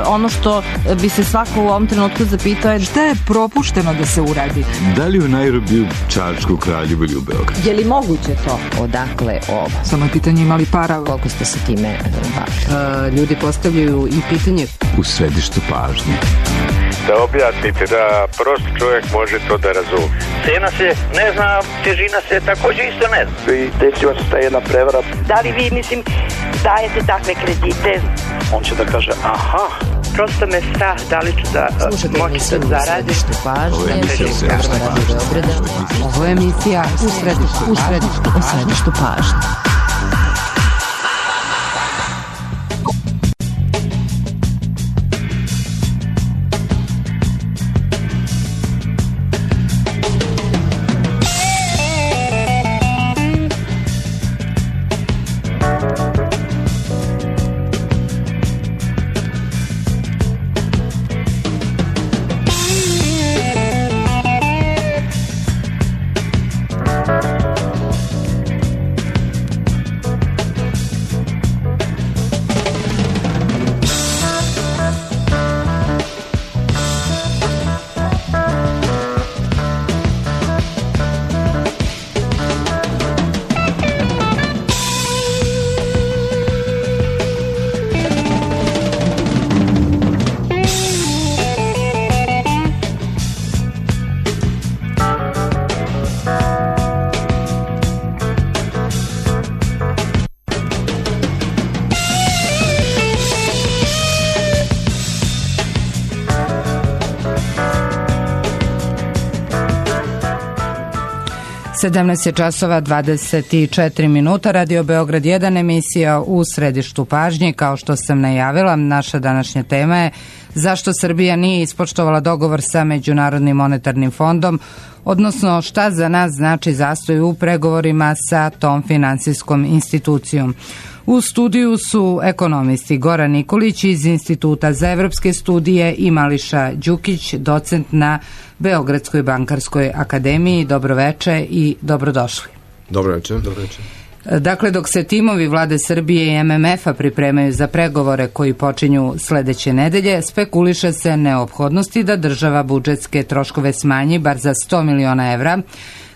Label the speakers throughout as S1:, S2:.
S1: ono što bi se svako u ovom trenutku zapitao je
S2: šta je propušteno da se uradi?
S3: Da li u Nairobiju, Čačku, Kraljevu ili u Beogradu?
S1: Je li moguće to?
S4: Odakle ovo?
S2: Samo je pitanje imali para.
S4: Koliko ste se time bavili?
S2: Ljudi postavljaju i pitanje
S3: u središtu pažnje.
S5: Da objasnite da prost čovjek može to da razumije.
S6: Cena se ne zna, težina se također isto ne zna.
S7: I desila se ta jedna prevara.
S8: Da li vi, dajete takve kredite?
S7: On će da kaže, aha.
S8: Prosto me strah da li ću da moći da zaradim.
S2: Ovo je emisija u središtu pažnje.
S9: Sedamnaest je časova 24 minuta. Radio Beograd 1, emisija u središtu pažnje. Kao što sam najavila, naša današnja tema je zašto Srbija nije ispoštovala dogovor sa Međunarodnim monetarnim fondom, odnosno šta za nas znači zastoj u pregovorima sa tom finansijskom institucijom. U studiju su ekonomisti Goran Nikolić iz Instituta za evropske studije i Mališa Đukić, docent na Beogradskoj bankarskoj akademiji. Dobroveče i dobrodošli.
S10: Dobroveče.
S9: Dakle, dok se timovi vlade Srbije i MMF-a pripremaju za pregovore koji počinju sledeće nedelje, spekuliše se neophodnosti da država budžetske troškove smanji bar za 100 miliona evra,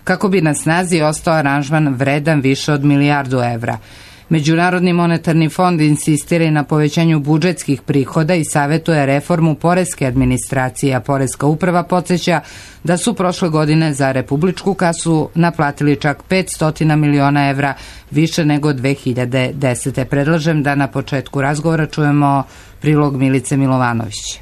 S9: kako bi na snazi ostao aranžman vredan više od milijardu evra. Međunarodni monetarni fond insistira na povećanju budžetskih prihoda i savetuje reformu poreske administracije, a poreska uprava podsjeća da su prošle godine za republičku kasu naplatili čak 500 miliona evra, više nego 2010. Predlažem da na početku razgovora čujemo prilog Milice Milovanović.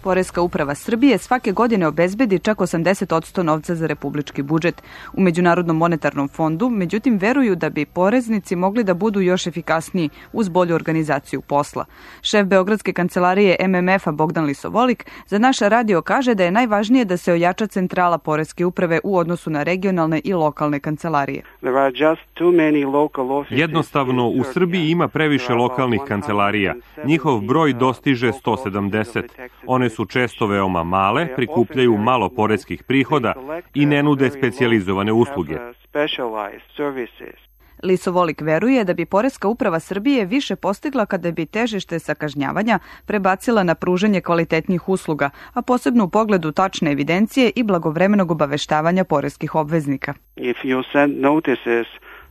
S11: Poreska uprava Srbije svake godine obezbedi čak 80% novca za republički budžet. U Međunarodnom monetarnom fondu, međutim, veruju da bi poreznici mogli da budu još efikasniji uz bolju organizaciju posla. Šef Beogradske kancelarije MMF-a Bogdan Lisovolik za naš radio kaže da je najvažnije da se ojača centrala poreske uprave u odnosu na regionalne i lokalne kancelarije.
S12: Jednostavno, u Srbiji ima previše lokalnih kancelarija. Njihov broj dostiže 170. One su često veoma male, prikupljaju malo poreskih prihoda i ne nude specijalizovane usluge.
S11: Lisovolik veruje da bi Poreska uprava Srbije više postigla kada bi težište sa kažnjavanja prebacila na pružanje kvalitetnih usluga, a posebno u pogledu tačne evidencije i blagovremenog obaveštavanja poreskih obveznika.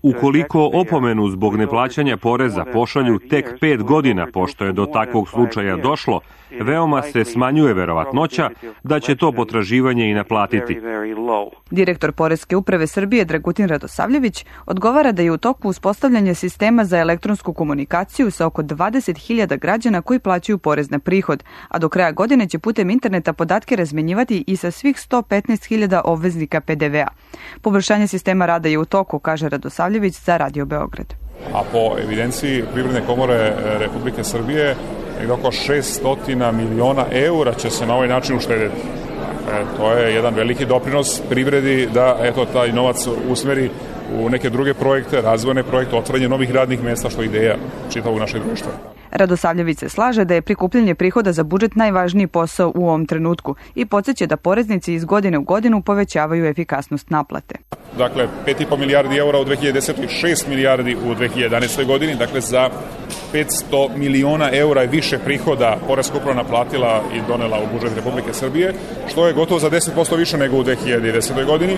S12: Ukoliko opomenu zbog neplaćanja poreza pošalju tek 5 godina pošto je do takvog slučaja došlo, veoma se smanjuje verovatnoća da će to potraživanje i naplatiti.
S11: Direktor Poreske uprave Srbije Dragutin Radosavljević odgovara da je u toku uspostavljanje sistema za elektronsku komunikaciju sa oko 20.000 građana koji plaćaju porez na prihod, a do kraja godine će putem interneta podatke razmenjivati i sa svih 115.000 obveznika PDV-a. Poboljšanje sistema rada je u toku, kaže Radosavljević za Radio Beograd.
S13: A po evidenciji Privredne komore Republike Srbije, oko 600 miliona eura će se na ovaj način uštediti. To je jedan veliki doprinos privredi da taj novac usmeri u neke druge projekte, razvojne projekte, otvaranje novih radnih mesta, što je ideja čitavog našeg društva.
S11: Radosavljević se slaže da je prikupljanje prihoda za budžet najvažniji posao u ovom trenutku i podsjeća da poreznici iz godine u godinu povećavaju efikasnost naplate.
S13: Dakle, 5,5 milijardi eura u 2010. i 6 milijardi u 2011. godini, dakle za 500 miliona eura je više prihoda poreska uprava naplatila i donela u budžet Republike Srbije, što je gotovo za 10% više nego u 2010. godini.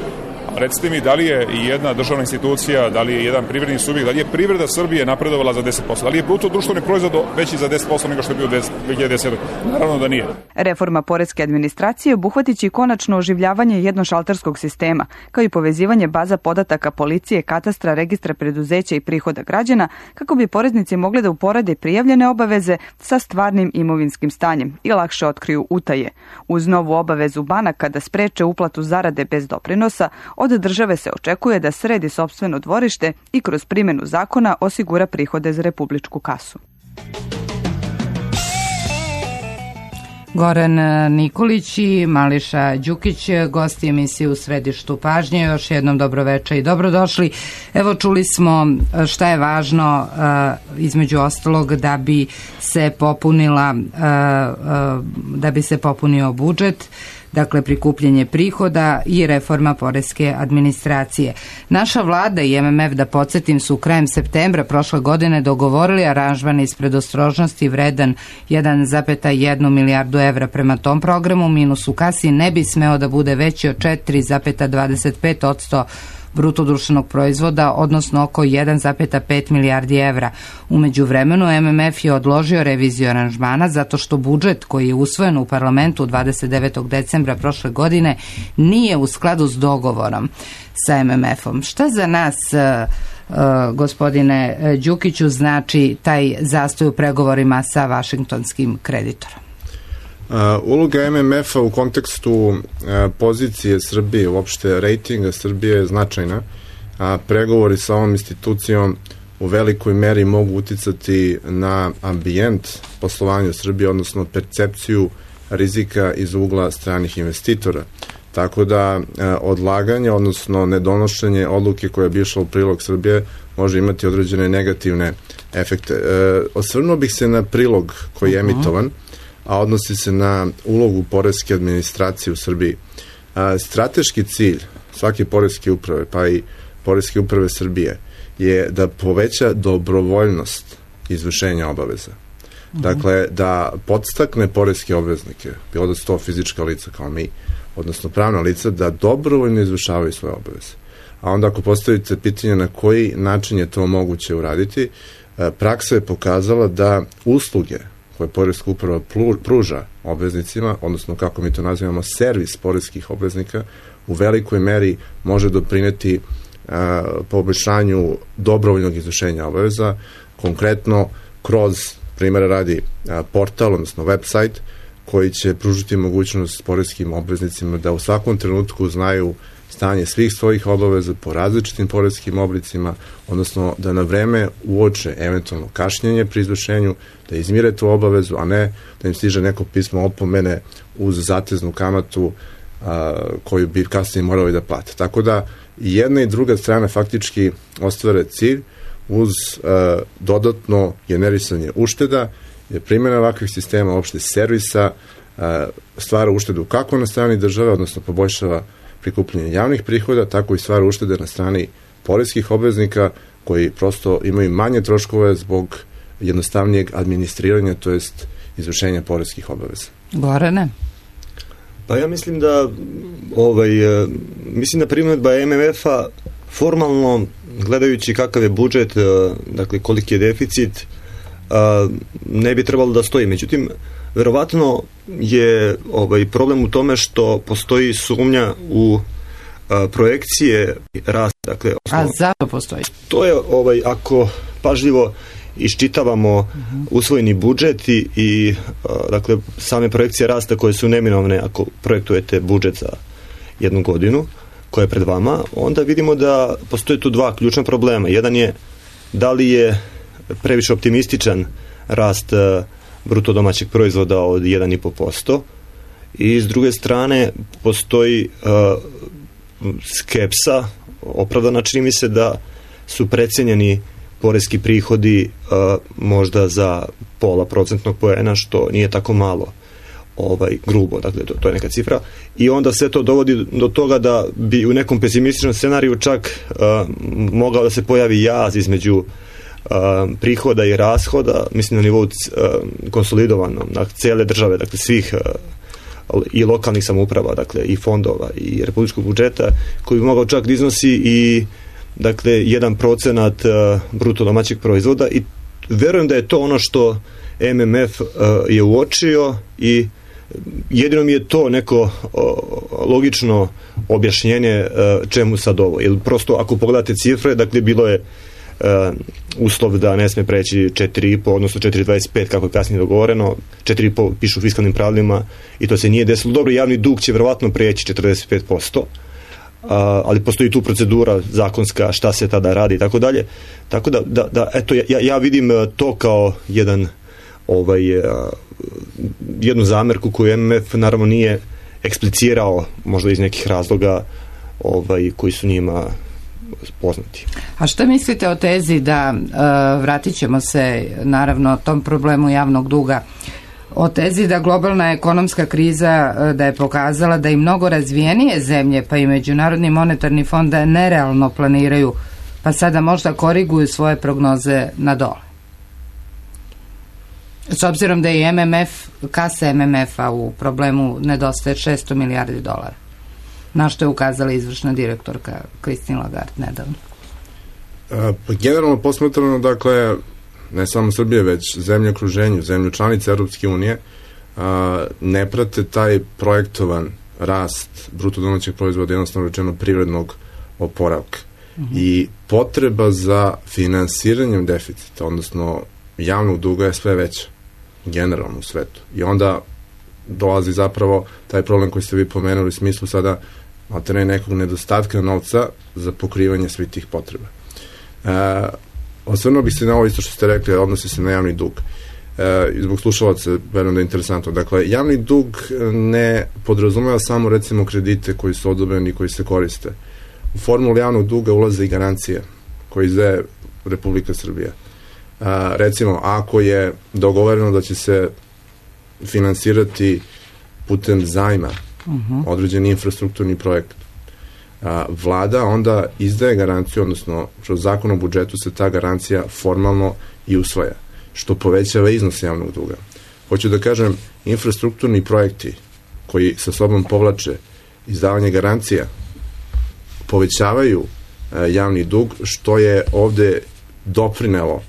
S13: Recite mi, da li je i jedna državna institucija, da li je jedan privredni subjekt, da li je privreda Srbije napredovala za 10%, da li je bruto društveni proizvod veći za 10% nego što je bio 2010. Naravno da nije.
S11: Reforma poreske administracije obuhvatit će konačno oživljavanje jednošalterskog sistema, kao i povezivanje baza podataka policije, katastra, registra preduzeća i prihoda građana, kako bi poreznici mogli da uporede prijavljene obaveze sa stvarnim imovinskim stanjem i lakše otkriju utaje. Uz novu obavezu banaka da spreče uplatu zarade bez doprinosa, od države se očekuje da sredi sopstveno dvorište i kroz primjenu zakona osigura prihode za republičku kasu.
S9: Goran Nikolić i Mališa Đukić, gosti emisije U središtu pažnje. Još jednom dobroveče i dobrodošli. Evo, čuli smo šta je važno između ostalog da bi se popunio budžet, dakle prikupljanje prihoda i reforma poreske administracije. Naša vlada i MMF, da podsjetim, su krajem septembra prošle godine dogovorili aranžman iz predostrožnosti vredan 1,1 milijardu evra. Prema tom programu minus u kasi ne bi smeo da bude veći od 4,25% bruto društvenog proizvoda, odnosno oko 1,5 milijardi evra. U međuvremenu MMF je odložio reviziju aranžmana zato što budžet koji je usvojen u parlamentu 29. decembra prošle godine nije u skladu s dogovorom sa MMF-om. Šta za nas, gospodine Đukiću, znači taj zastoj u pregovorima sa vašingtonskim kreditorom?
S10: Uloga MMF-a u kontekstu pozicije Srbije, uopšte rejtinga Srbije je značajna, a pregovori sa ovom institucijom u velikoj meri mogu uticati na ambijent poslovanja Srbije, odnosno percepciju rizika iz ugla stranih investitora. Tako da odlaganje, odnosno nedonošenje odluke koja bi išla u prilog Srbije može imati određene negativne efekte. Osvrnuo bih se na prilog koji je emitovan, a odnosi se na ulogu poreske administracije u Srbiji. Strateški cilj svake poreske uprave, pa i poreske uprave Srbije, je da poveća dobrovoljnost izvršenja obaveza. Dakle, da podstakne poreske obveznike, bilo da su to fizička lica kao mi, odnosno pravna lica, da dobrovoljno izvršavaju svoje obaveze. A onda ako postavite pitanje na koji način je to moguće uraditi, praksa je pokazala da usluge koje poreska uprava pruža obveznicima, odnosno kako mi to nazivamo servis poreskih obveznika, u velikoj meri može doprineti poboljšanju dobrovoljnog izvršenja obaveza, konkretno kroz, primjera radi, portal, odnosno website, koji će pružiti mogućnost poreskim obveznicima da u svakom trenutku znaju stanje svih svojih obaveza po različitim poreskim oblicima, odnosno da na vreme uoče eventualno kašnjenje pri izvršenju, da izmire tu obavezu, a ne da im stiže neko pismo opomene uz zateznu kamatu koju bi kasnije morali da plate. Tako da jedna i druga strana faktički ostvare cilj uz dodatno generisanje ušteda, jer primjena ovakvih sistema, uopšte servisa, stvara uštedu kako na strani države, odnosno poboljšava prikupljanje javnih prihoda, tako i stvara uštede na strani poreskih obveznika koji prosto imaju manje troškove zbog jednostavnijeg administriranja, to jest izvršenja poreskih obaveza.
S9: Gorane?
S14: Pa ja mislim da primjedba MMF-a formalno, gledajući kakav je budžet, dakle koliki je deficit, ne bi trebalo da stoji. Međutim, verovatno je problem u tome što postoji sumnja u projekcije rasta. Dakle,
S9: a zašto postoji?
S14: To je, ako pažljivo iščitavamo usvojeni budžet i dakle, same projekcije rasta koje su neminovne ako projektujete budžet za jednu godinu koja je pred vama, onda vidimo da postoje tu dva ključna problema. Jedan je da li je previše optimističan rast bruto domaćeg proizvoda od 1,5% i s druge strane postoji skepsa, opravdana, čini mi se da su precenjeni poreski prihodi možda za 0,5% poena, što nije tako malo, grubo, dakle to je neka cifra, i onda sve to dovodi do toga da bi u nekom pesimističnom scenariju čak mogao da se pojavi jaz između prihoda i rashoda, mislim na nivou konsolidovanom, dakle cele države, dakle svih i lokalnih samouprava, dakle i fondova i republičkog budžeta, koji bi mogao čak da iznosi i dakle 1% bruto domaćeg proizvoda, i verujem da je to ono što MMF je uočio, i jedino mi je to neko logično objašnjenje čemu sad ovo. Jer prosto ako pogledate cifre, dakle bilo je uslov da ne sme preći 4,5, odnosno 4,25 kako je kasnije dogovoreno, 4,5 pišu u fiskalnim pravilima i to se nije desilo. Dobro, javni dug će verovatno preći 45%, ali postoji tu procedura zakonska šta se tada radi i tako dalje. Tako da eto, ja vidim to kao jednu zamerku koju MMF naravno nije eksplicirao, možda iz nekih razloga koji su njima poznati.
S9: A šta mislite o tezi da, vratit ćemo se naravno tom problemu javnog duga, o tezi da globalna ekonomska kriza da je pokazala da i mnogo razvijenije zemlje, pa i Međunarodni monetarni fond, da nerealno planiraju, pa sada možda koriguju svoje prognoze na dole? S obzirom da je MMF, kasa MMF-a u problemu nedostaje $600 milijardi. Na što je ukazala izvršna direktorka Christine Lagarde nedavno?
S10: Pa generalno posmatrano, dakle, ne samo Srbije, već zemlje okruženju, zemlje članice Europske unije, ne prate taj projektovan rast bruto domaćeg proizvoda, jednostavno rečeno privrednog oporavka. I potreba za finansiranjem deficita, odnosno javnog duga, je sve veća generalno u svetu. I onda dolazi zapravo taj problem koji ste vi pomenuli u smislu sada nekog nedostatka novca za pokrivanje svih tih potreba. Osvrnuo bih se na ovo isto što ste rekli, odnosi se na javni dug. Zbog slušalaca, verujem da je interesantno. Dakle, javni dug ne podrazumeva samo, recimo, kredite koji su odobreni i koji se koriste. U formulu javnog duga ulaze i garancije koje izdaje Republika Srbija. Recimo, ako je dogovoreno da će se finansirati putem zajma određeni infrastrukturni projekt, vlada onda izdaje garanciju, odnosno kroz zakon o budžetu se ta garancija formalno i usvaja, što povećava iznos javnog duga. Hoću da kažem, infrastrukturni projekti koji sa sobom povlače izdavanje garancija povećavaju javni dug, što je ovde doprinelo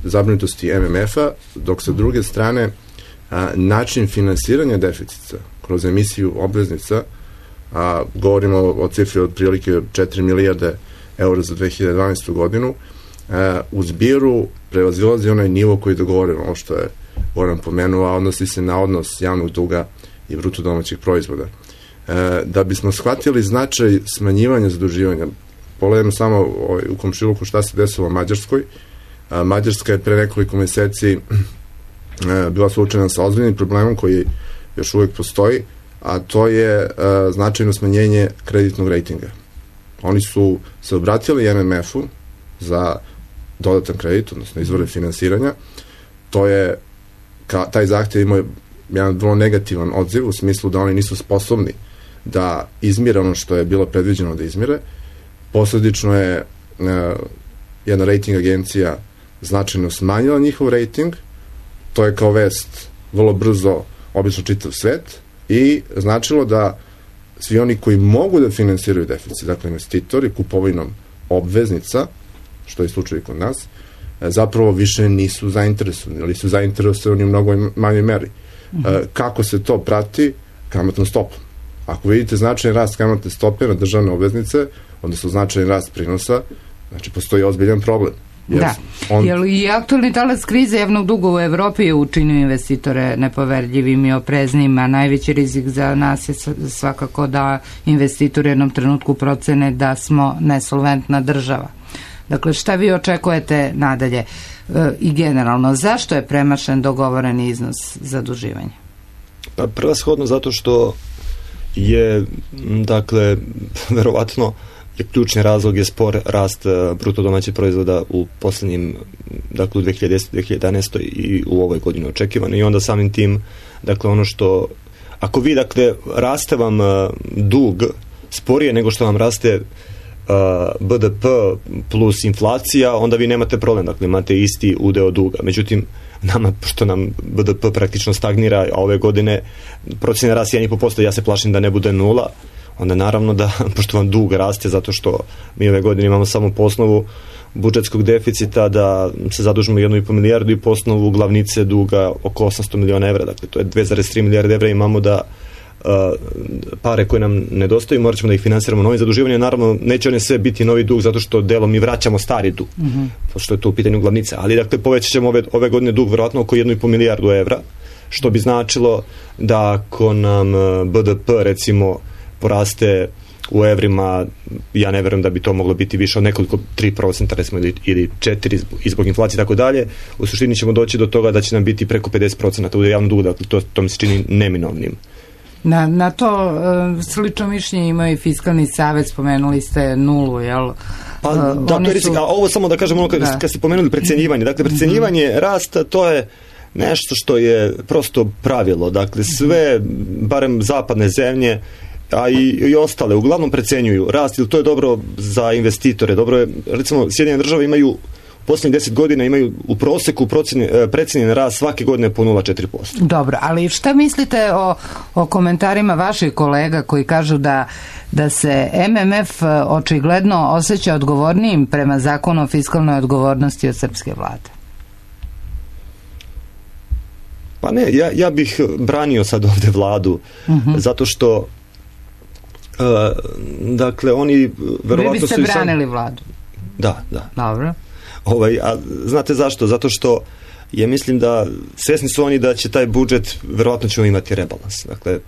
S10: zabrinutosti MMF-a, dok sa druge strane način finansiranja deficita kroz emisiju obveznica, govorimo o cifri od prilike 4 milijarde eura za 2012. godinu, u zbiru prevazilazi onaj nivo koji je dogovoreno, ovo što je Goran pomenuo, a odnosi se na odnos javnog duga i bruto domaćeg proizvoda. Da bismo shvatili značaj smanjivanja zaduživanja, pogledajmo samo u komšiluku šta se desilo u Mađarskoj. Mađarska je pre nekoliko meseci bila suočena sa ozbiljnim problemom koji još uvek postoji, a to je značajno smanjenje kreditnog rejtinga. Oni su se obratili MMF-u za dodatan kredit, odnosno izvore finansiranja. Taj zahtev imao jedan vrlo negativan odziv u smislu da oni nisu sposobni da izmire ono što je bilo predviđeno da izmire. Posledično je jedna rejting agencija značajno smanjila njihov rejting. To je kao vest vrlo brzo obično čitav svet i značilo da svi oni koji mogu da finansiraju deficit, dakle investitori kupovinom obveznica, što je slučaj kod nas, zapravo više nisu zainteresovani, ali su zainteresovani u mnogo manjoj meri. Kako se to prati? Kamatnom stopom. Ako vidite značajan rast kamatne stope na državne obveznice, odnosno značajan rast prinosa, znači postoji ozbiljan problem.
S9: Da, jer i aktualni talas krize javnog duga u Evropi je učinio investitore nepoverljivim i opreznim, a najveći rizik za nas je svakako da investitori u jednom trenutku procene da smo nesolventna država. Dakle, šta vi očekujete nadalje i generalno, zašto je premašen dogovoreni iznos zaduživanja?
S14: Pa prevashodno zato što je, dakle, verovatno ključni razlog je spor rast bruto domaćeg proizvoda u poslednjim, dakle u 2010. 2011. i u ovoj godini očekivano. I onda samim tim, dakle ono što, ako vi, dakle, raste vam dug sporije nego što vam raste BDP plus inflacija, onda vi nemate problem, dakle imate isti udeo duga. Međutim, nama, pošto nam BDP praktično stagnira, a ove godine procjena rast 1,5%, ja se plašim da ne bude 0, onda naravno da, pošto vam dug raste, zato što mi ove godine imamo samo po osnovu budžetskog deficita da se zadužimo 1,5 milijardu i po osnovu glavnice duga oko 800 miliona evra, dakle to je 2,3 milijarde evra, imamo da pare koje nam nedostaju, morat ćemo da ih finansiramo novim zaduživanjem. Naravno, neće one sve biti novi dug, zato što delom mi vraćamo stari dug, pošto je to u pitanju glavnice. Ali, dakle, povećat ćemo ove godine dug verovatno oko 1,5 milijardu evra, što bi značilo da ako nam BDP, recimo, poraste u evrima, ja ne verujem da bi to moglo biti više od nekoliko 3%, recimo, ili 4% zbog inflacije i tako dalje, u suštini ćemo doći do toga da će nam biti preko 50% u javnom dugu, dakle, to mi se čini neminovnim.
S9: Na to slično mišljenje ima i Fiskalni savet, spomenuli ste nulu, jel?
S14: Pa, da, to je rizik, a ovo samo da kažem ono kad ste pomenuli precenjivanje, dakle precenjivanje rasta, to je nešto što je prosto pravilo, dakle sve, barem zapadne zemlje, a i ostale, uglavnom precenjuju rast, ili to je dobro za investitore, dobro je, recimo Sjedinjene države imaju posljednjih 10 godina imaju u proseku precenjen rast svake godine po 0,4%.
S9: Dobro, ali šta mislite o komentarima vaših kolega koji kažu da se MMF očigledno osjeća odgovornijim prema zakonu o fiskalnoj odgovornosti od srpske vlade?
S14: Pa ne, ja bih branio sad ovde vladu, zato što dakle oni verovatno
S9: vi biste branili vladu?
S14: Da.
S9: Dobro.
S14: A znate zašto? Zato što ja mislim da svesni su oni da će taj budžet, verovatno ćemo imati rebalans. Dakle,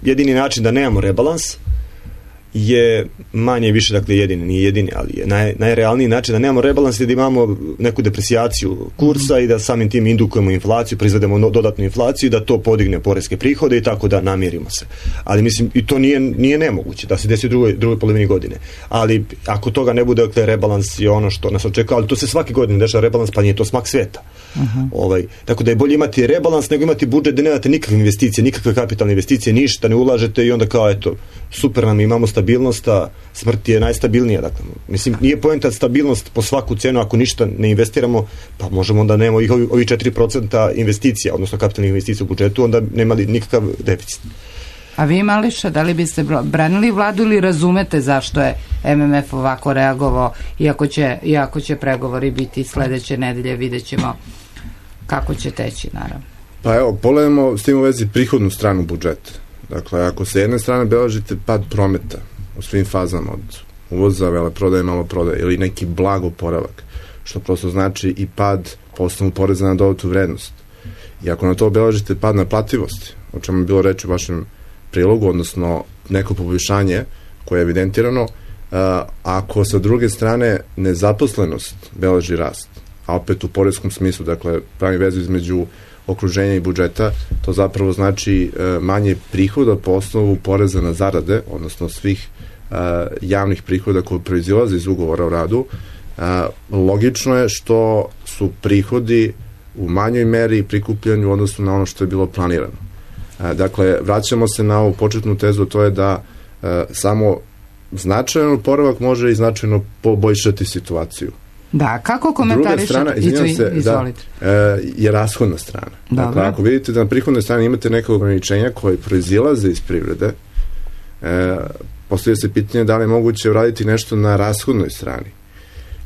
S14: jedini način da nemamo rebalans je manje i više, dakle jedini, nije jedini, ali je najrealniji način da nemamo rebalans je da imamo neku depresijaciju kursa i da samim tim indukujemo inflaciju, proizvedemo dodatnu inflaciju i da to podigne poreske prihode i tako da namirimo se. Ali mislim, i to nije nemoguće da se desi u drugoj polovini godine. Ali ako toga ne bude, dakle, rebalans je ono što nas očekuje, ali to se svake godine dešava rebalans, pa nije to smak sveta. Tako da je bolje imati rebalans nego imati budžet da nemate nikakve investicije, nikakve kapitalne investicije, ništa ne ulažete i onda kao eto, super nam, imamo stabilnost, a smrt je najstabilnija. Dakle, mislim, nije poenta stabilnost po svaku cenu, ako ništa ne investiramo, pa možemo onda nemamo i ovi 4% investicija, odnosno kapitalnih investicija u budžetu, onda nemali nikakav deficit.
S9: A vi, Mališa, da li biste branili vladu ili razumete zašto je MMF ovako reagovao, iako će pregovori biti sledeće nedelje, vidjet ćemo kako će teći, naravno.
S10: Pa evo, pogledamo s tim u vezi prihodnu stranu budžeta. Dakle, ako se jedne strane beležite pad prometa u svim fazama od uvoza, veleprodaje, maloprodaje ili neki blag oporavak, što prosto znači i pad po osnovu poreza na dodatu vrednost. I ako na to beležite pad naplativosti, o čemu je bilo reći u vašem prilogu, odnosno neko poboljšanje koje je evidentirano, ako sa druge strane nezaposlenost beleži rast, a opet u poreskom smislu, dakle, pravi vezu između okruženja i budžeta, to zapravo znači manje prihoda po osnovu poreza na zarade, odnosno svih javnih prihoda koji proizilaze iz ugovora o radu. Logično je što su prihodi u manjoj meri prikupljeni u odnosu na ono što je bilo planirano. Dakle, vraćamo se na ovu početnu tezu, to je da samo značajan oporavak može i značajno poboljšati situaciju.
S9: Da, kako komentarišete?
S10: Druga strana, je rashodna strana. Dakle, ako vidite da na prihodnoj strani imate neke ograničenja koje proizilaze iz privrede, postavlja se pitanje da li je moguće uraditi nešto na rashodnoj strani.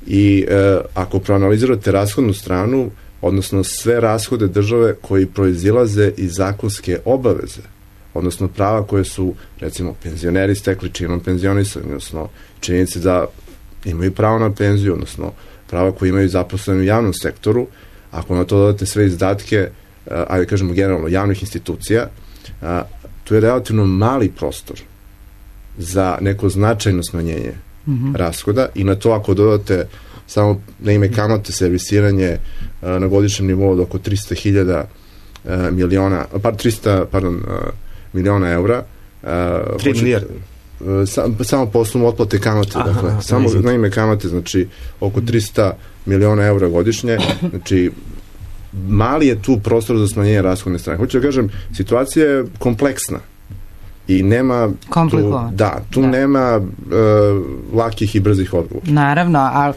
S10: I ako proanalizirate rashodnu stranu, odnosno sve rashode države koji proizilaze iz zakonske obaveze, odnosno prava koje su, recimo, penzioneri stekli činom penzionisanja, odnosno činjenice da imaju pravo na penziju, odnosno prava koje imaju zaposleni u javnom sektoru, ako na to dodate sve izdatke, ajde kažemo generalno, javnih institucija, tu je relativno mali prostor za neko značajno smanjenje rashoda i na to ako dodate samo na ime kamate servisiranje na godišnjem nivou od oko 300 miliona eura.
S14: 3 milijarde.
S10: samo po osnovu otplate kamate, dakle, samo na ime kamate, znači oko 300 miliona evra godišnje, znači mali je tu prostor za smanjenje rashodne strane. Hoću da kažem, situacija je kompleksna i nema tu nema lakih i brzih odgovora.
S9: Naravno, ali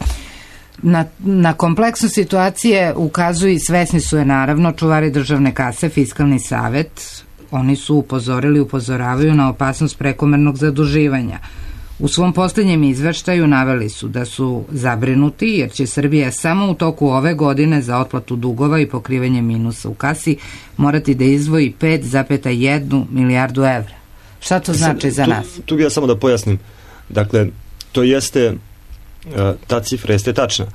S9: na kompleksnost situacije ukazuju i svesni su je naravno čuvari državne kase, Fiskalni savet. Oni su upozoravaju na opasnost prekomernog zaduživanja. U svom posljednjem izveštaju naveli su da su zabrinuti jer će Srbija samo u toku ove godine za otplatu dugova i pokrivanje minusa u kasi morati da izdvoji 5,1 milijardu evra. Šta to znači za nas?
S14: Tu bih ja samo da pojasnim. Dakle, to jeste, ta cifra jeste tačna,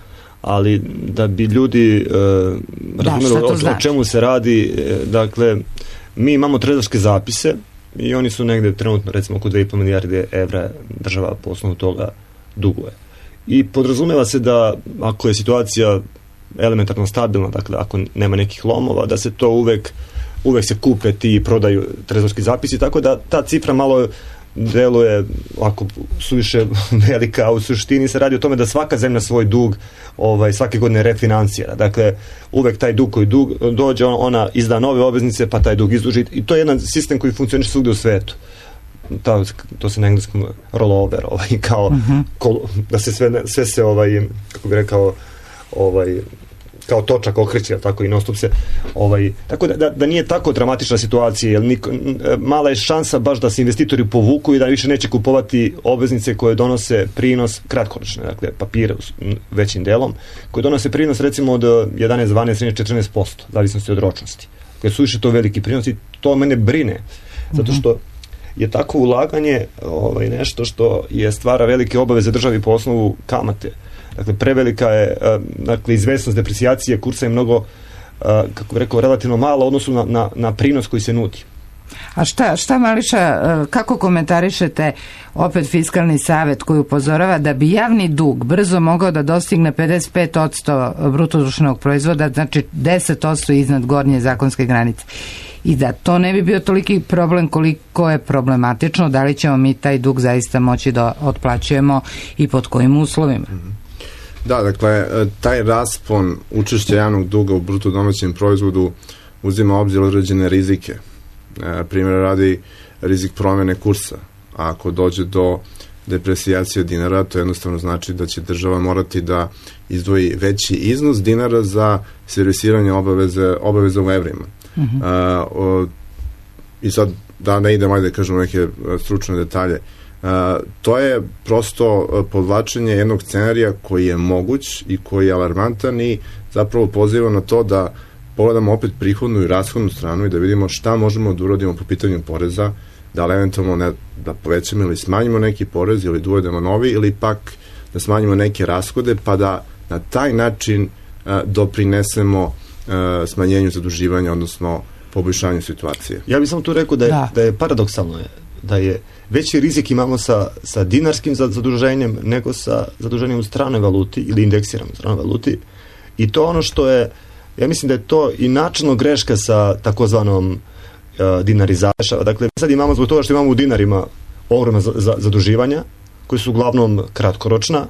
S14: ali da bi ljudi razumeli o čemu se radi, dakle, mi imamo trezorske zapise i oni su negde trenutno recimo oko 2,5 milijarde evra država po osnovu toga duguje. I podrazumeva se da ako je situacija elementarno stabilna, dakle ako nema nekih lomova, da se to uvek se kupe ti i prodaju trezorski zapisi, tako da ta cifra malo deluje ako suviše velika, a u suštini se radi o tome da svaka zemlja svoj dug svake godine refinansira. Dakle, uvek taj dug koji dođe, ona izda nove obveznice, pa taj dug izduži. I to je jedan sistem koji funkcioniše svugde u svetu. To se na engleskom rollover, kao da se sve se, kako bi rekao, kao točak okreće, tako i non-stop se, tako da nije tako dramatična situacija, jer mala je šansa baš da se investitori povuku i da više neće kupovati obveznice koje donose prinos kratkoročne, dakle papire većim delom, koje donose prinos recimo od 11, 12, 13, 14%, zavisnosti od ročnosti, koje su više to veliki prinos i to mene brine, zato što je tako ulaganje nešto što je stvara velike obaveze državi po osnovu kamate. Dakle, prevelika je, dakle, izvesnost deprecijacije kursa je mnogo, kako bih rekao, relativno malo u odnosu na prinos koji se nudi.
S9: A šta Mališa, kako komentarišete opet Fiskalni savet koji upozorava da bi javni dug brzo mogao da dostigne 55% brutodruštvenog proizvoda, znači 10% iznad gornje zakonske granice? I da to ne bi bio toliki problem koliko je problematično, da li ćemo mi taj dug zaista moći da otplaćujemo i pod kojim uslovima?
S10: Da, dakle, taj raspon učešća javnog duga u bruto domaćem proizvodu uzima u obzir određene rizike. Primjer radi rizik promjene kursa. A ako dođe do deprecijacije dinara, to jednostavno znači da će država morati da izdvoji veći iznos dinara za servisiranje obaveza u evrima. I sad, da ne idem, ajde kažem neke stručne detalje, to je prosto podvlačenje jednog scenarija koji je moguć i koji je alarmantan i zapravo poziva na to da pogledamo opet prihodnu i rashodnu stranu i da vidimo šta možemo da uradimo po pitanju poreza, da li eventualno da povećamo ili smanjimo neki porez ili da uvedemo novi ili pak da smanjimo neke rashode pa da na taj način doprinesemo smanjenju zaduživanja, odnosno poboljšanju situacije.
S14: Ja bih samo tu rekao da je paradoksalno da je veći rizik imamo sa dinarskim zaduženjem nego sa zaduženjem u stranoj valuti ili indeksiranom u stranoj valuti i to ono što je, ja mislim da je to i načelno greška sa takozvanom dinarizacijom. Dakle, sad imamo zbog toga što imamo u dinarima ogromna zaduživanja koji su uglavnom kratkoročna,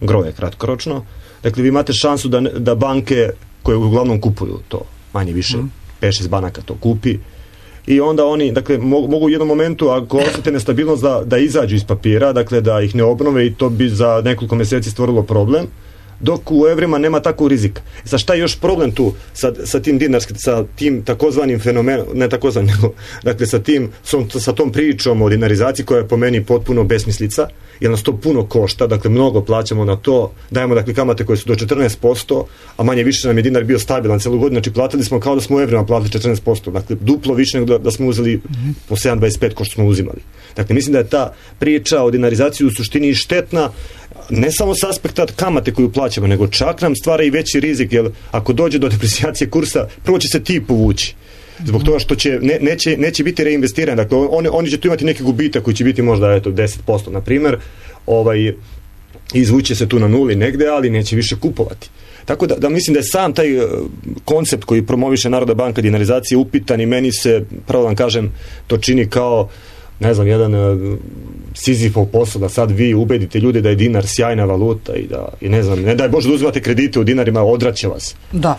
S14: groje kratkoročno. Dakle, vi imate šansu da banke koje uglavnom kupuju to, manje više 5-6 banaka to kupi i onda oni, dakle, mogu u jednom momentu, ako osjete nestabilnost, da izađu iz papira, dakle, da ih ne obnove i to bi za nekoliko mjeseci stvorilo problem, dok u evrima nema takvog rizika. Sad šta je još problem tu sa tim dinarskim, sa tim takozvanim fenomenom, ne takozvanim, nego, dakle, sa tom pričom o dinarizaciji koja je po meni potpuno besmislica, jer nas to puno košta, dakle, mnogo plaćamo na to, dajemo, dakle, kamate koje su do 14%, a manje više nam je dinar bio stabilan celu godinu, znači platili smo kao da smo u evrima platili 14%, dakle, duplo više nego da smo uzeli po 7,25 ko što smo uzimali. Dakle, mislim da je ta priča o dinarizaciji u suštini štetna, ne samo s aspekta kamate koju plaćamo, nego čak nam stvara i veći rizik, jer ako dođe do deprecijacije kursa, prvo će se ti povući. Zbog toga što neće biti reinvestirani. Dakle, oni će tu imati neki gubitak koji će biti možda 10%, na primjer, izvuće se tu na nuli negde, ali neće više kupovati. Tako da mislim da je sam taj koncept koji promoviše Narodna banka dinarizacije upitan i meni se, pravo da vam kažem, to čini kao, ne znam, jedan Sizifov posao da sad vi ubedite ljude da je dinar sjajna valuta i da, i ne znam, ne daj Bože da uzimate kredite u dinarima, odraće vas.
S9: Dobro,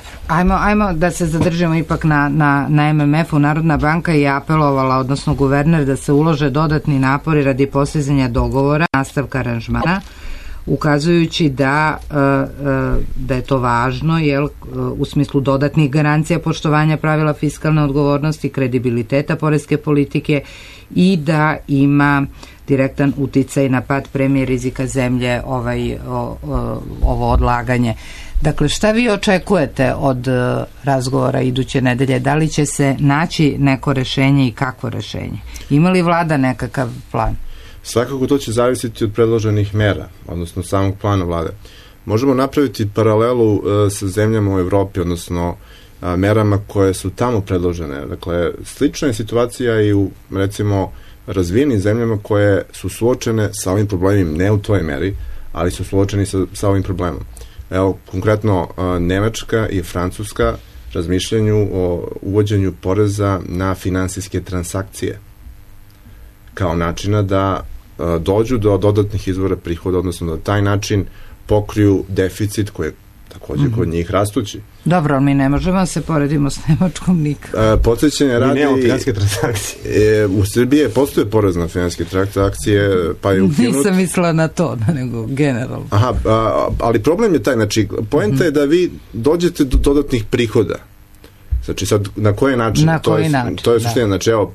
S9: ajmo da se zadržimo ipak na MMF-u. Narodna banka je apelovala, odnosno guverner, da se ulože dodatni napori radi postizanja dogovora, nastavka aranžmana, ukazujući da je to važno, u smislu dodatnih garancija poštovanja pravila fiskalne odgovornosti, kredibiliteta poreske politike i da ima direktan uticaj na pad premije rizika zemlje ovo odlaganje. Dakle, šta vi očekujete od razgovora iduće nedelje? Da li će se naći neko rešenje i kakvo rešenje? Ima li vlada nekakav plan?
S10: Svakako to će zavisiti od predloženih mera, odnosno samog plana vlade. Možemo napraviti paralelu sa zemljama u Evropi, odnosno merama koje su tamo predložene. Dakle, slična je situacija i u, recimo, razvijenim zemljama koje su suočene sa ovim problemima, ne u toj meri, ali su suočeni sa ovim problemom. Evo, konkretno, Nemačka i Francuska razmišljanju o uvođenju poreza na finansijske transakcije kao načina da dođu do dodatnih izvora prihoda, odnosno da taj način pokriju deficit koji je također kod njih rastući.
S9: Dobro, ali mi ne možemo se poredimo s Nemačkom nikad.
S10: Podsjećanje radi...
S14: Mi nemamo finansijske transakcije.
S10: U Srbiji postoje porez na finansijske transakcije, pa je ukinut.
S9: Nisam mislila na to, nego generalno.
S10: Aha, ali problem je taj, znači, poenta je da vi dođete do dodatnih prihoda. Znači sad, na koji način? To je suština. Znači, evo,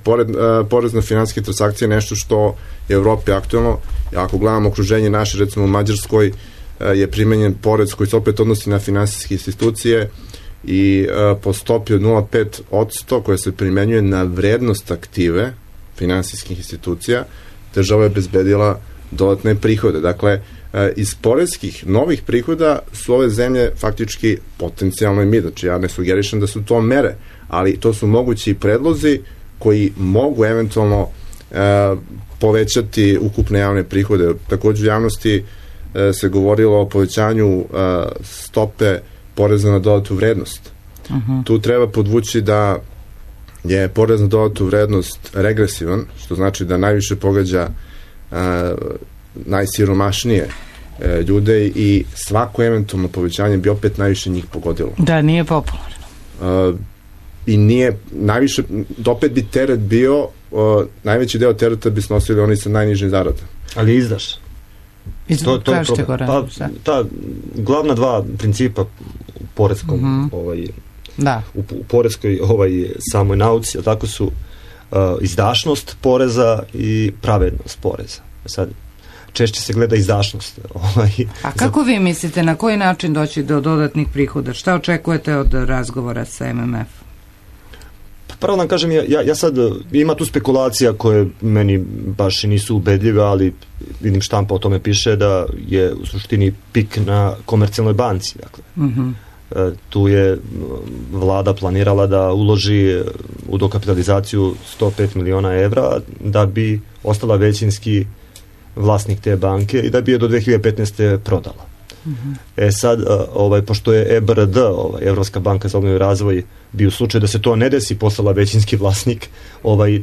S10: porez na finansijske transakcije je nešto što je u Evropi aktualno. Ako gledamo okruženje naše, recimo u Mađarskoj je primenjen porez koji se opet odnosi na finansijske institucije i po stopi od 0,5% koja se primenjuje na vrednost aktive finansijskih institucija, država je obezbedila dodatne prihode. Dakle, iz poreskih novih prihoda su ove zemlje faktički potencijalno i mi. Znači, ja ne sugerišem da su to mere, ali to su mogući predlozi koji mogu eventualno povećati ukupne javne prihode. Također u javnosti se govorilo o povećanju stope poreza na dodatu vrednost. Tu treba podvući da je porez na dodatu vrednost regresivan, što znači da najviše pogađa najsiromašnije ljude i svako eventualno povećanje bi opet najviše njih pogodilo.
S9: Da, nije popularno.
S10: I nije najviše, opet bi teret bio, najveći deo tereta bi snosili oni sa najnižim zaradama.
S14: Ali izdaš? Ta glavna dva principa u poreskom u poreskoj samoj nauci, tako su izdašnost poreza i pravednost poreza. Sad češće se gleda izdašnost.
S9: A kako vi mislite, na koji način doći do dodatnih prihoda? Šta očekujete od razgovora sa MMF?
S14: Prvo da kažem, ja sad, ima tu spekulacija koje meni baš nisu ubedljive, ali vidim štampa o tome piše da je u suštini pik na Komercijalnoj banci. Dakle. Tu je vlada planirala da uloži u dokapitalizaciju 105 miliona evra da bi ostala većinski vlasnik te banke i da bi je do 2015. prodala. Sad, pošto je EBRD, Evropska banka za obnovu i razvoj, bi u slučaju da se to ne desi postala većinski vlasnik,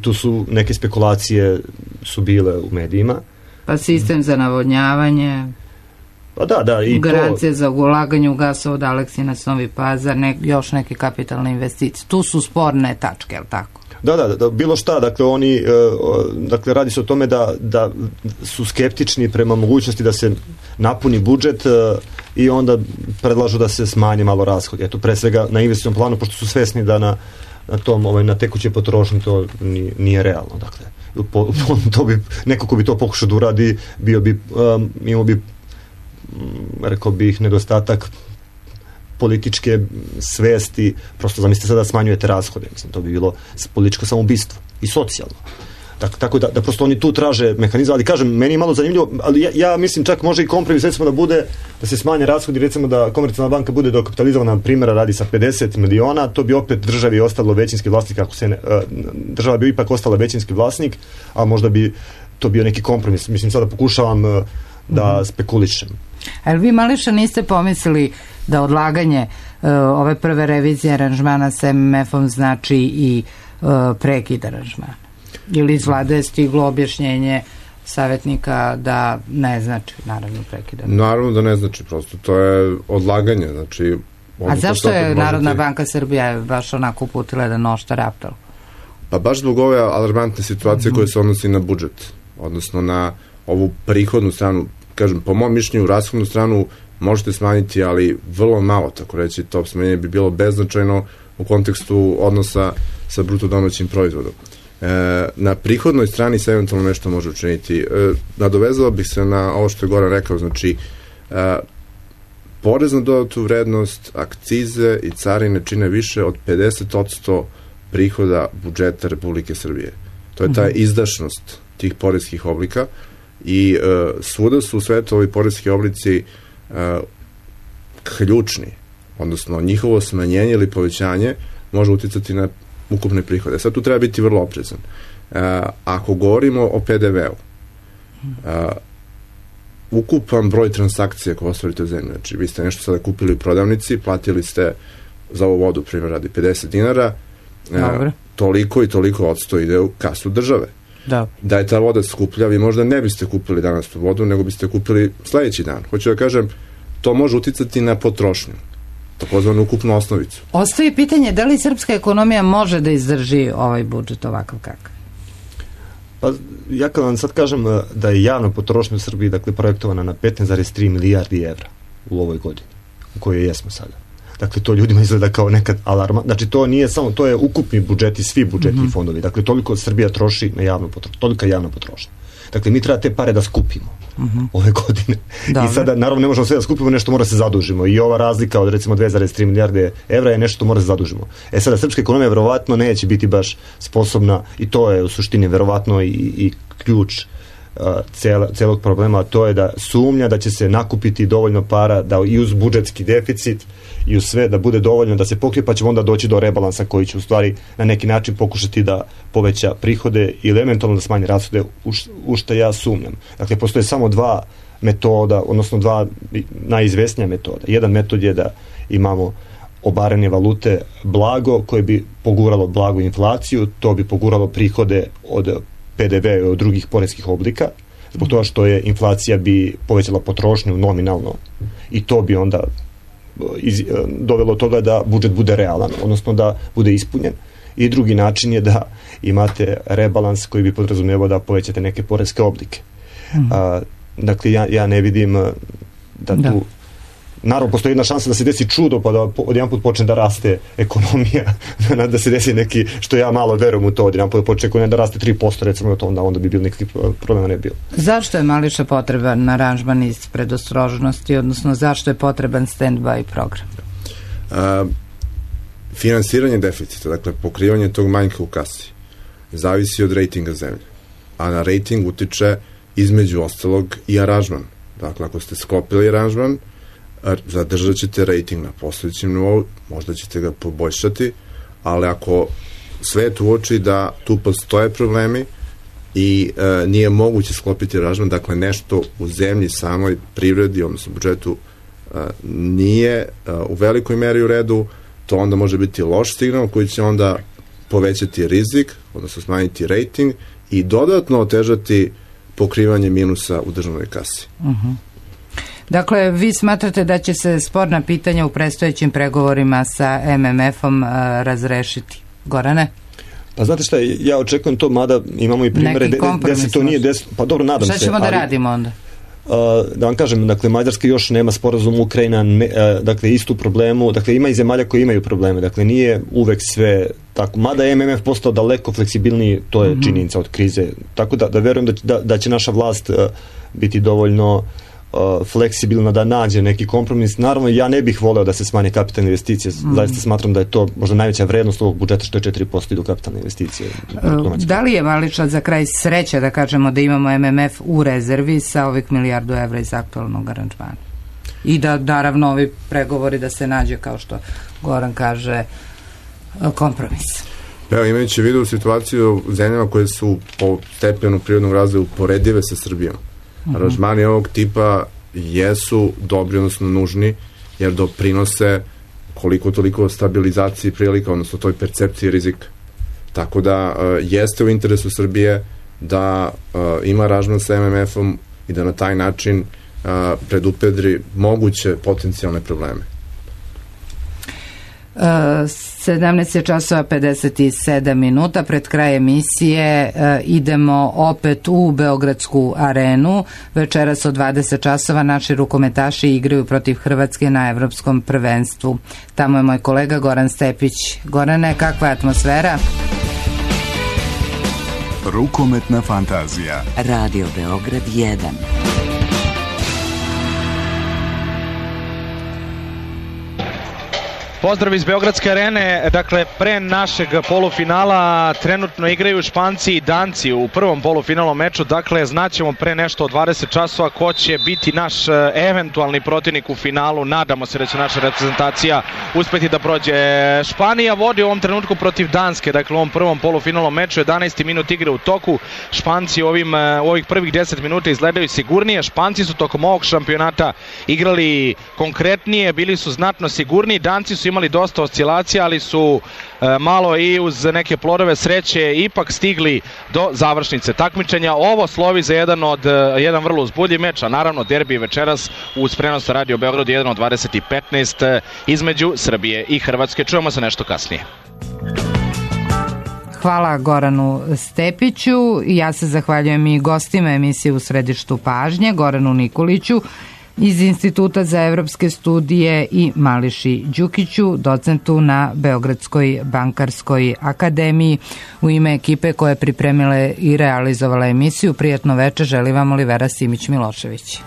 S14: tu su neke spekulacije su bile u medijima.
S9: Pa sistem za navodnjavanje,
S14: i
S9: garancije za ulaganje u gasovod Aleksinac, Novi Pazar, još neke kapitalne investicije. Tu su sporne tačke, je li tako?
S14: Da, bilo šta, dakle oni, radi se o tome da su skeptični prema mogućnosti da se napuni budžet i onda predlažu da se smanje malo rashodi. Eto, pre svega na investicionom planu, pošto su svesni da na tom, na tekućoj potrošnji to nije realno, dakle. To bi, neko ko bi to pokušao da uradi, imao bi, rekao bih, nedostatak političke svesti, prosto zamislite sada da smanjujete rashode, mislim, to bi bilo političko samoubistvo i socijalno. Tako da prosto oni tu traže mehanizam, ali kažem, meni je malo zanimljivo, ali ja mislim čak može i kompromis, recimo da bude, da se smanje rashodi, recimo da Komercijalna banka bude dokapitalizovana, na primjera radi sa 50 miliona, to bi opet državi ostalo većinski vlasnik, ako se država bi ipak ostala većinski vlasnik, a možda bi to bio neki kompromis. Mislim, sada pokušavam da spekulišem.
S9: Ali vi, Mališa, niste pomislili da odlaganje ove prve revizije aranžmana sa MMF-om znači i prekid aranžmana? Ili iz vlade je stiglo objašnjenje savjetnika da ne znači, naravno, prekidanje?
S10: Naravno da ne znači, prosto to je odlaganje, znači...
S9: A zašto je Narodna banka Srbije baš onako uputila jedan oštar apel?
S10: Pa baš zbog ove alarmantne situacije koje se odnosi na budžet, odnosno na ovu prihodnu stranu, kažem, po mom mišljenju, rashodnu stranu možete smanjiti, ali vrlo malo, tako reći, to smanjenje bi bilo beznačajno u kontekstu odnosa sa bruto domaćim proizvodom. Na prihodnoj strani se eventualno nešto može učiniti. Nadovezao bih se na ovo što je Goran rekao, znači porez na dodatu vrednost, akcize i carine čine više od 50% prihoda budžeta Republike Srbije. To je ta izdašnost tih poreskih oblika i svuda su u svetu ovi poreski oblici ključni, odnosno njihovo smanjenje ili povećanje može uticati na ukupne prihode. Sad tu treba biti vrlo oprezan. Ako govorimo o PDV-u, ukupan broj transakcija koje ostvarite u zemlji, znači vi ste nešto sada kupili u prodavnici, platili ste za ovu vodu, primjer radi 50 dinara, toliko i toliko odsto ide u kasu države. Da je ta voda skuplja, vi možda ne biste kupili danas tu vodu, nego biste kupili sledeći dan. Hoću da kažem, to može uticati na potrošnju, takozvanu ukupnu osnovicu.
S9: Ostaje pitanje da li srpska ekonomija može da izdrži ovaj budžet ovakav kakav?
S14: Pa ja kad vam sad kažem da je javna potrošnja u Srbiji, dakle, projektovana na 15,3 milijardi evra u ovoj godini, u kojoj jesmo sada. Dakle, to ljudima izgleda kao nekad alarma. Znači, to nije samo, to je ukupni budžeti, svi budžeti i fondovi. Dakle, toliko Srbija troši na javnu potrošnju, tolika javna potrošnja. Dakle, mi treba te pare da skupimo ove godine. I sada, naravno, ne možemo sve da skupimo, nešto mora se zadužimo. I ova razlika od, recimo, 2,3 milijarde evra je nešto što mora se zadužimo. Sada, srpska ekonomija verovatno neće biti baš sposobna, i to je u suštini verovatno i ključ celog problema, a to je da sumnja da će se nakupiti dovoljno para da i uz budžetski deficit i uz sve da bude dovoljno da se pokrije, pa ćemo onda doći do rebalansa koji će u stvari na neki način pokušati da poveća prihode ili eventualno da smanji rashode, u što ja sumnjam. Dakle, postoje samo dva metoda, odnosno dva najizvesnija metoda. Jedan metod je da imamo obaranje valute blago koje bi poguralo blagu inflaciju, to bi poguralo prihode od PDV i od drugih poreskih oblika, zbog toga što je inflacija bi povećala potrošnju nominalno i to bi onda dovelo toga da budžet bude realan, odnosno da bude ispunjen. I drugi način je da imate rebalans koji bi podrazumevao da povećate neke poreske oblike. Dakle, ja ne vidim da tu... Naravno, postoji jedna šansa da se desi čudo, pa da odjedan put počne da raste ekonomija, da se desi neki, što ja malo verujem u to, odjedan put počne ekonomija da raste 3%, recimo, onda bi bilo nekakvih problema ne bilo.
S9: Zašto je, Mališa, potreban aranžman iz predostrožnosti, odnosno zašto je potreban stand-by program?
S10: Finansiranje deficita, dakle, pokrivanje tog manjka u kasi, zavisi od rejtinga zemlje, a na rejting utiče između ostalog i aranžman. Dakle, ako ste sklopili aranžman, zadržat ćete rating na postojećem nivou, možda ćete ga poboljšati, ali ako svet uoči da tu postoje problemi i nije moguće sklopiti aranžman, dakle nešto u zemlji, samoj privredi, odnosno budžetu, nije u velikoj meri u redu, to onda može biti loš signal koji će onda povećati rizik, odnosno smanjiti rating i dodatno otežati pokrivanje minusa u državnoj kasi.
S9: Dakle, vi smatrate da će se sporna pitanja u predstojećim pregovorima sa MMF-om razrešiti? Gorane?
S14: Pa znate šta, ja očekujem to, mada imamo i primere gde se to nije desilo. Pa dobro, nadam se.
S9: Šta ćemo da radimo onda?
S14: Da vam kažem, dakle, Mađarska još nema sporazum, Ukrajina, dakle, istu problemu, dakle, ima i zemalja koji imaju probleme, dakle, nije uvek sve tako, mada je MMF postao daleko fleksibilniji, to je činjenica od krize, tako da verujem da će naša vlast biti dovoljno fleksibilna da nađe neki kompromis. Naravno, ja ne bih voleo da se smanje kapitalne investicije, zaista smatram da je to možda najveća vrednost ovog budžeta, što je 4% idu kapitalne investicije.
S9: Da li je, Mališa, za kraj sreće da kažemo da imamo MMF u rezervi sa ovih 1 milijardu evra iz aktualnog aranžmana? I da, naravno, ovi pregovori da se nađe, kao što Goran kaže, kompromis.
S10: Evo, imajući vidu situaciju u zemljama koje su po stepenu prirodnog razvoja uporedive sa Srbijom, aranžmani ovog tipa jesu dobri, odnosno nužni, jer doprinose koliko toliko stabilizaciji prilika, odnosno toj percepciji rizika. Tako da jeste u interesu Srbije da ima aranžman sa MMF-om i da na taj način predupredri moguće potencijalne probleme.
S9: 17 časova 57 minuta, pred kraj emisije idemo opet u Beogradsku arenu. Večeras od 20 časova naši rukometaši igraju protiv Hrvatske na evropskom prvenstvu. Tamo je moj kolega Goran Stepić. Gorane, kakva je atmosfera?
S15: Rukometna fantazija.
S16: Radio Beograd 1.
S17: Pozdrav iz Beogradske arene, dakle pre našeg polufinala trenutno igraju Španci i Danci u prvom polufinalnom meču, dakle znaćemo pre nešto od 20 časova ko će biti naš eventualni protivnik u finalu. Nadamo se da će naša reprezentacija uspeti da prođe. Španija vodi u ovom trenutku protiv Danske, dakle u ovom prvom polufinalnom meču, 11. minut igre u toku. Španci u ovih prvih 10 minuta izgledaju sigurnije. Španci su tokom ovog šampionata igrali konkretnije, bili su znatno sigurniji. Danci su imali dosta oscilacija, ali su malo i uz neke plodove sreće ipak stigli do završnice takmičenja. Ovo slovi za jedan vrlo uzbudljiv meč, a naravno derbi večeras uz prenos na Radio Beograd 1 od 20:15 između Srbije i Hrvatske. Čujemo se nešto kasnije.
S9: Hvala Goranu Stepiću. Ja se zahvaljujem i gostima emisije U središtu pažnje, Goranu Nikoliću iz Instituta za evropske studije i Mališi Đukiću, docentu na Beogradskoj bankarskoj akademiji. U ime ekipe koja je pripremila i realizovala emisiju, prijatno veče želi vam Olivera Simić-Milošević.